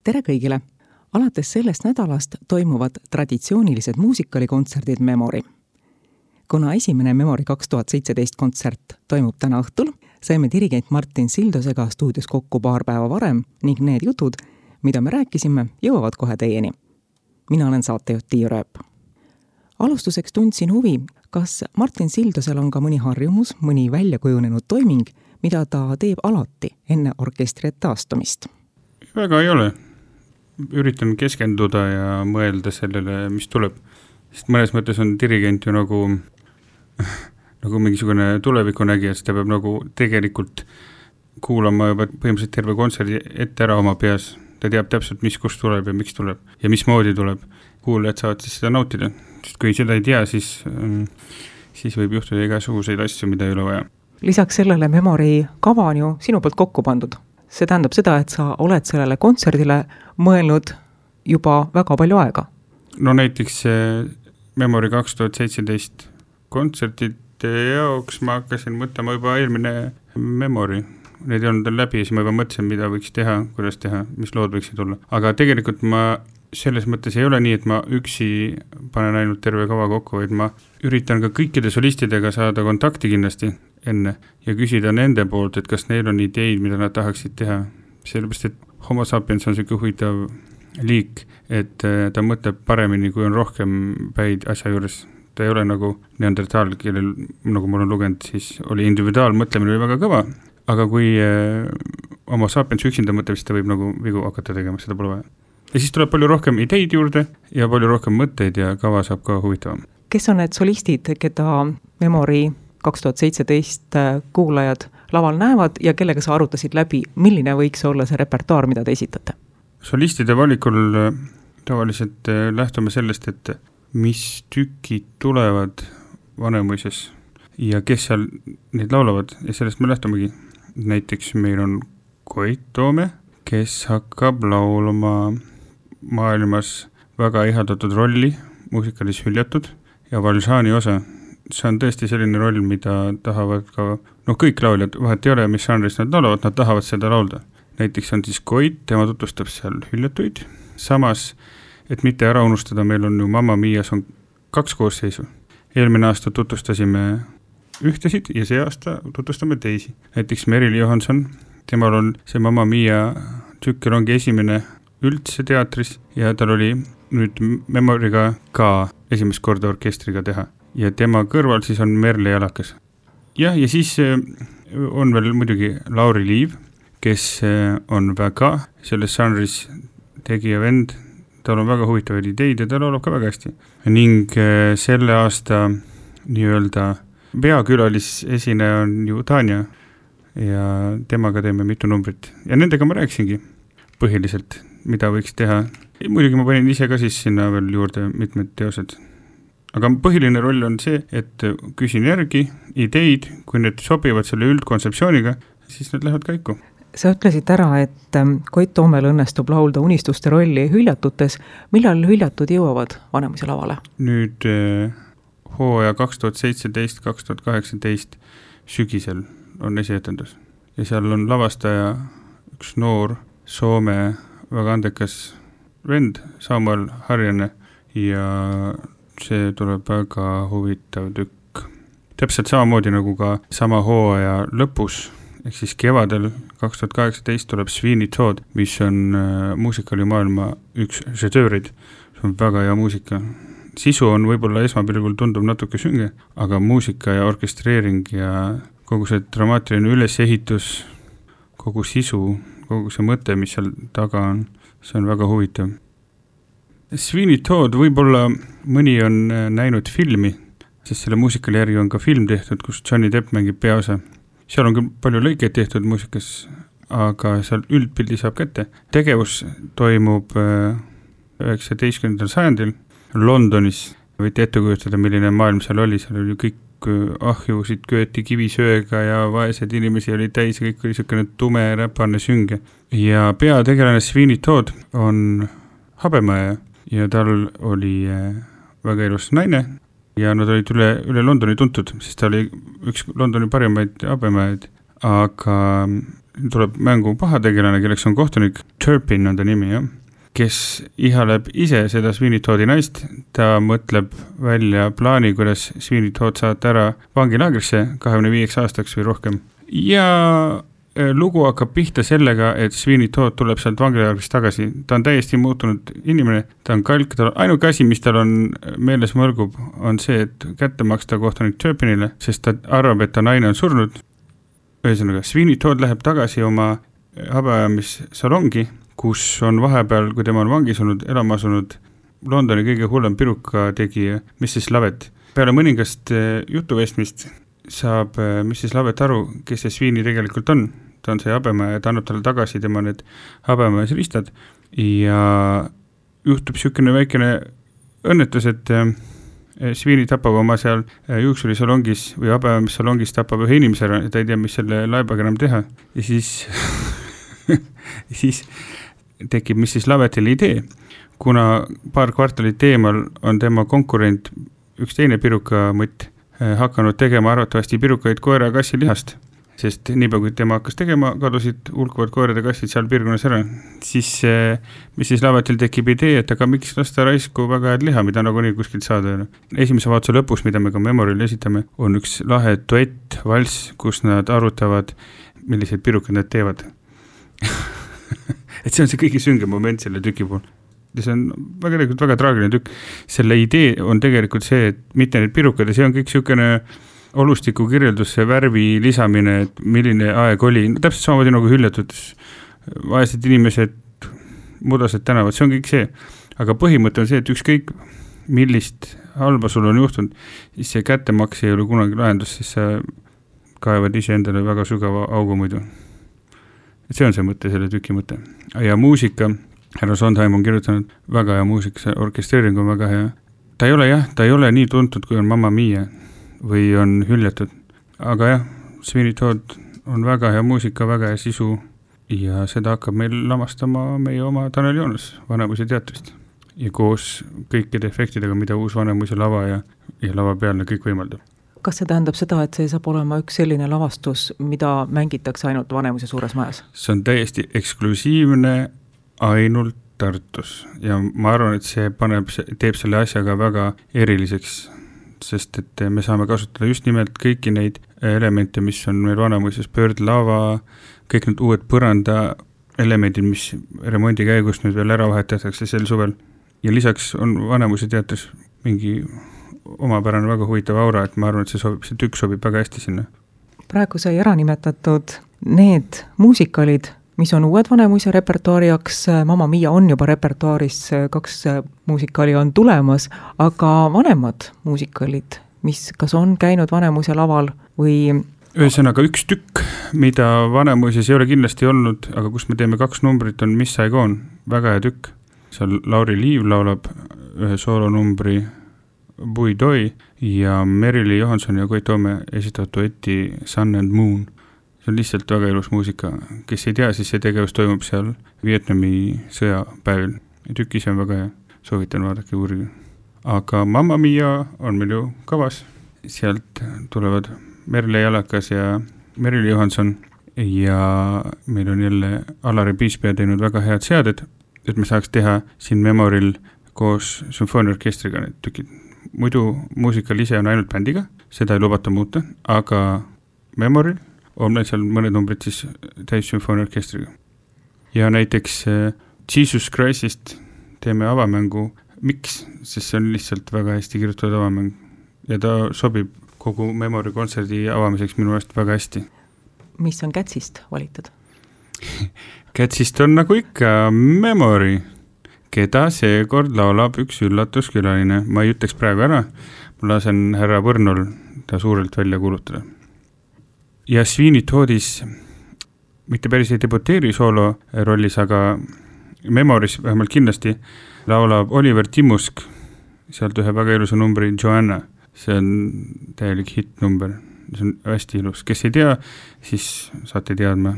Tere kõigile! Alates sellest nädalast toimuvad traditsioonilised muusikalikontserdid Memory. Kuna esimene Memory 2017 kontsert toimub täna õhtul, saime dirigent Martin Sildosega stuudios kokku paar päeva varem ning need jutud, mida me rääkisime, jõuavad kohe teieni. Mina olen saatejuht Tiiu Rööp. Alustuseks tundsin huvi, kas Martin Sildosel on ka mõni harjumus, mõni väljakujunenud toiming, mida ta teeb alati enne orkestri taastumist? Väga ei ole. Üritan keskenduda ja mõelda sellele, mis tuleb. Sest mõnes mõttes on dirigent ju nagu mingisugune tulevikunägija, sest ta peab nagu tegelikult kuulama juba põhimõtteliselt terve kontserdi ette ära oma peas. Ta teab täpselt, mis kust tuleb ja miks tuleb ja mismoodi tuleb. Kuulajad saavad siis seda nautida. Sest kui seda ei tea, siis võib juhtuda igasuguseid asju, mida ei ole vaja. Lisaks sellele Memory kava on ju sinu poolt kokku pandud. See tähendab seda, et sa oled sellele kontserdile mõelnud juba väga palju aega. No näiteks Memory 2017 kontsertide jaoks ma hakkasin mõtlema juba eelmine Memory. Need ei olnud läbi ja siis ma juba mõtlesin, mida võiks teha, kuidas teha, mis lood võiksid olla. Aga tegelikult ma selles mõttes ei ole nii, et ma üksi panen ainult terve kava kokku, vaid ma üritan ka kõikide solistidega saada kontakti kindlasti enne ja küsida nende poolt, et kas neil on ideid, mida nad tahaksid teha. Sellepärast, et Homo sapiens on selline huvitav liik, et ta mõtleb paremini, kui on rohkem päid asja juures. Ta ei ole nagu neandertaal, kellel, nagu mul on lugenud, siis oli individuaalmõtlemine või väga kõva, aga kui Homo sapiens üksinda mõtleb, siis ta võib nagu vigu hakata tegema, seda pole vaja. Ja siis tuleb palju rohkem ideid juurde ja palju rohkem mõtteid ja kava saab ka huvitavam. Kes on need solistid, keda Memory 2017 kuulajad laval näevad ja kellega sa arutasid läbi, milline võiks olla see repertuaar, mida te esitate? Solistide valikul tavaliselt lähtume sellest, et mis tükid tulevad Vanemuises ja kes seal neid laulavad ja sellest me lähtumegi. Näiteks meil on Koit Toome, kes hakkab laulama maailmas väga ihaldatud rolli, muusikalis hüljatud ja Valžani osa. See on tõesti selline roll, mida tahavad ka, kõik lauljad, vahet ei ole, mis žanris nad laulavad, nad tahavad seda laulda. Näiteks on siis Koit, tema tutvustab seal hüljatuid. Samas, et mitte ära unustada, meil on ju Mamma Mias on 2 koosseisu. Eelmine aasta tutvustasime ühtesid ja see aasta tutvustame teisi. Näiteks Merili Johanson, temal on see Mamma Mia tükkel ongi esimene üldse teatris ja tal oli nüüd Memoryga ka esimest korda orkestriga teha. Ja tema kõrval siis on Merle Jalakas. Ja siis on veel muidugi Lauri Liiv, kes on väga selles žanris tegija vend. Tal on väga huvitavaid ideid ja ta laulab ka väga hästi. Ning selle aasta nii-öelda peakülalis esineja on ju Tanja ja temaga teeme mitu numbrit. Ja nendega ma rääkisingi põhiliselt, mida võiks teha. Muidugi ma panin ise ka siis sinna veel juurde mitmed teosed. Aga põhiline roll on see, et küsin järgi ideid, kui need sobivad selle üldkontseptsiooniga, siis need lähevad käiku. Sa ütlesid ära, et Koit Toomel õnnestub laulda unistuste rolli hüljatutes. Millal hüljatud jõuavad Vanemuise lavale? Nüüd hooaja 2017-2018 sügisel on esietendus. Ja seal on lavastaja üks noor Soome väga andekas vend, Samuel Harjane, ja see tuleb väga huvitav tükk. Täpselt samamoodi nagu ka sama hooaja lõpus, ehk siis kevadel 2018 tuleb Sweeney Todd, mis on muusikalimaailma üks žedöörid. See on väga hea muusika. Sisu on võib-olla esmapilgul tundub natuke sünge, aga muusika ja orkestreering ja kogu see dramaatiline ülesehitus, kogu sisu, kogu see mõte, mis seal taga on, see on väga huvitav. Sweeney Todd võib-olla mõni on näinud filmi, sest selle muusikali järgi on ka film tehtud, kus Johnny Depp mängib peaosa. Seal on küll palju lõikeid tehtud muusikas, aga seal üldpildi saab kätte. Tegevus toimub 19. sajandil Londonis. Võite ette kujutada, milline maailm seal oli. Seal oli kõik ahjusid kööti kivisööga ja vaesed inimesi oli täis ja kõik oli selline tume räpane sünge. Ja peategelane Sweeney Todd on habemaja ja tal oli väga ilus naine ja nad olid üle Londoni tuntud, sest ta oli üks Londoni parimaid habemajaid, aga tuleb mängu pahategelane, kelleks on kohtunik Turpin on ta nimi, jah, kes ihaleb ise seda Sweeney Toddi naist, ta mõtleb välja plaani, kuidas Sweeney Todd saata ära vangilaagrisse 25 aastaks või rohkem. Ja lugu hakkab pihta sellega, et Sweeney Todd tuleb sealt vangilaagrist tagasi. Ta on täiesti muutunud inimene, ta on kalk, ainuke asi, mis tal on meeles mõlgub, on see, et kätte maksta kohtunik Turpinile, sest ta arvab, et ta naine on surnud. Ühesõnaga, Sweeney Todd läheb tagasi oma habeajamissalongi, kus on vahepeal, kui tema on vangis olnud, elama asunud Londoni kõige hullem piruka tegija Mrs. Lovett. Peale mõningast jutuvestmist saab Mrs. Lovett aru, kes see Sweeney tegelikult on. Ta on see habemäe ja ta annab talle tagasi tema need habemäes ristad ja juhtub niisugune väikene õnnetus, et Sweeney tapab oma seal juuksurisalongis või habeajamissalongis tapab ühe inimese ära ja ta ei tea, mis selle laibaga enam teha. Ja siis tekib Mrs. Lovettile idee, kuna paar kvartalit eemal on tema konkurent, üks teine pirukamõtt, hakanud tegema arvatavasti pirukaid koera ja kassi lihast, sest niipea kui tema hakkas tegema, kadusid hulkuvad koerad ja kassid seal piirkonnas ära. Siis Mrs. Lovettil tekib idee, et aga miks lasta raisku väga head liha, mida nagu nii kuskilt saada. Esimese vaatuse lõpus, mida me ka Memoril esitame, on üks lahe duett, valss, kus nad arutavad, milliseid pirukad nad teevad. Et see on see kõige süngem moment selle tüki pool. Ja see on väga traagiline tükk. Selle idee on tegelikult see, et mitte need pirukad ja see on kõik niisugune olustiku kirjeldus, see värvi lisamine, et milline aeg oli. Täpselt samamoodi nagu hüljatud vaesed inimesed, mudased tänavad, see on kõik see. Aga põhimõte on see, et ükskõik millist halba sul on juhtunud, siis see kättemaks ei ole kunagi lahendus, siis sa kaevad ise endale väga sügava augu muidu. Et see on see mõte, selle tüki mõte. Ja muusika, härra Sondheim on kirjutanud väga hea muusika, see orkestreering on väga hea. Ta ei ole nii tuntud, kui on Mamma Mia või on hüljatud. Aga jah, Sweeney Todd on väga hea muusika, väga hea sisu ja seda hakkab meil lavastama meie oma Tanel Joonas Vanemuise teatrist. Ja koos kõikide efektidega, mida uus Vanemuise lava ja lava pealne kõik võimaldab. Kas see tähendab seda, et see saab olema üks selline lavastus, mida mängitakse ainult Vanemuise suures majas? See on täiesti eksklusiivne ainult Tartus ja ma arvan, et see teeb selle asjaga väga eriliseks, sest et me saame kasutada just nimelt kõiki neid elemente, mis on meil Vanemuises, pöördlava, kõik need uued põranda elemendid, mis remondi käigus nüüd veel ära vahetatakse sel suvel. Ja lisaks on Vanemuise teatris mingi omapärane väga huvitav aura, et ma arvan, et see tükk sobib väga hästi sinna. Praegu sai ära nimetatud need muusikalid, mis on uued Vanemuise repertuaari jaoks. Mamma Mia on juba repertuaaris, 2 muusikali on tulemas, aga vanemad muusikalid, mis kas on käinud Vanemuise laval või... Ühesõnaga üks tükk, mida Vanemuises ei ole kindlasti olnud, aga kus me teeme 2 numbrit, on Miss Saigon, väga hea tükk. Seal Lauri Liiv laulab ühe soolonumbri Bui Doi ja Merili Johansson ja Koit Toome esitatud duetti Sun and Moon. See on lihtsalt väga ilus muusika. Kes ei tea, siis see tegevus toimub seal Vietnami sõjapäevil. Tükis on väga hea. Soovitan vaadake uurige. Aga Mamma Mia on meil ju kavas. Sealt tulevad Merle Jalakas ja Merili Johansson ja meil on jälle Alari Piispea teinud väga head seaded, et me saaks teha siin Memoril koos sümfooniaorkestriga need tükid. Muidu muusikal ise on ainult bändiga, seda ei lubata muuta, aga Memoril on meil seal mõned numbrid siis täis sümfooniaorkestriga. Ja näiteks Jesus Christist teeme avamängu. Miks? Sest see on lihtsalt väga hästi kirjutatud avamäng ja ta sobib kogu Memori kontserdi avamiseks minu eest väga hästi. Mis on Kätsist valitud? Kätsist on nagu ikka Memori, keda seekord laulab üks üllatuskülaline. Ma ei ütleks praegu ära, ma lasen härra Võrnul ta suurelt välja kuulutada. Ja Sweeney Toddis mitte päris ei debuteeri soolo rollis, aga Memoris vähemalt kindlasti laulab Oliver Timusk sealt ühe väga ilusa numbri Joanna. See on täielik hitnumber, see on hästi ilus. Kes ei tea, siis saate teadma.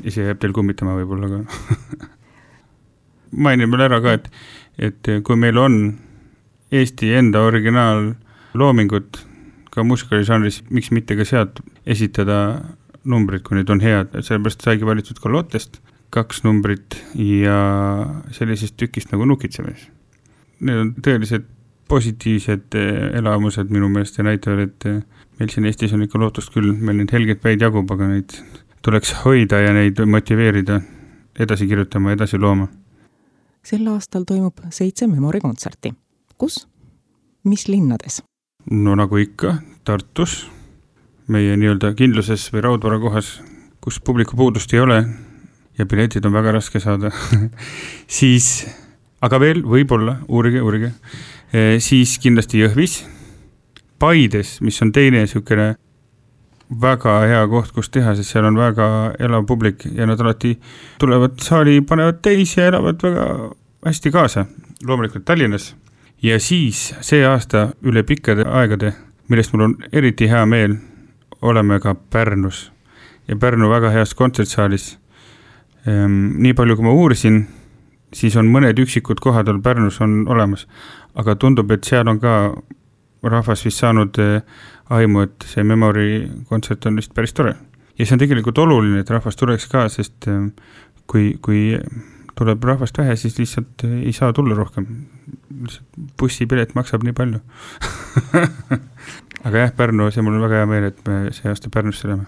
Ise jääb teil kummitama võib-olla, aga mainin veel ära ka, et kui meil on Eesti enda originaal loomingut ka muusikaližanris, miks mitte ka sealt esitada numbrid, kui need on head, sellepärast saigi valitud ka lottest 2 numbrit ja sellisest tükist nagu Nukitsemees. Need on tõeliselt positiivsed elamused minu meelest ja näitavad, et meil siin Eestis on ikka lootust küll, meil neid helgeid päid jagub, aga neid tuleks hoida ja neid motiveerida edasi kirjutama, edasi looma. Sel aastal toimub 7 Memori kontserti. Kus? Mis linnades? No nagu ikka, Tartus, meie nii-öelda kindluses või raudvara kohas, kus publiku puudust ei ole ja piletid on väga raske saada. Siis, aga veel võib-olla, uurige, siis kindlasti Jõhvis, Paides, mis on teine niisugune väga hea koht, kus teha, sest seal on väga elav publik ja nad alati tulevad saali, panevad täis ja elavad väga hästi kaasa, loomulikult Tallinnas. Ja siis see aasta üle pikkade aegade, millest mul on eriti hea meel, oleme ka Pärnus ja Pärnu väga heas kontsertsaalis. Nii palju, kui ma uurisin, siis on mõned üksikud kohad Pärnus on olemas, aga tundub, et seal on ka rahvas vist saanud aimu, et see Memori kontsert on vist päris tore. Ja see on tegelikult oluline, et rahvas tuleks ka, sest kui tuleb rahvast vähe, siis lihtsalt ei saa tulla rohkem. Bussipilet maksab nii palju. Aga jah, Pärnu, see mul on väga hea meel, et me see aasta Pärnusse oleme.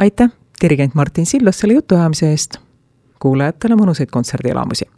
Aitäh, dirigent Martin Sillos selle jutuajamise eest. Kuulajatele mõnusaid kontserdielamusi.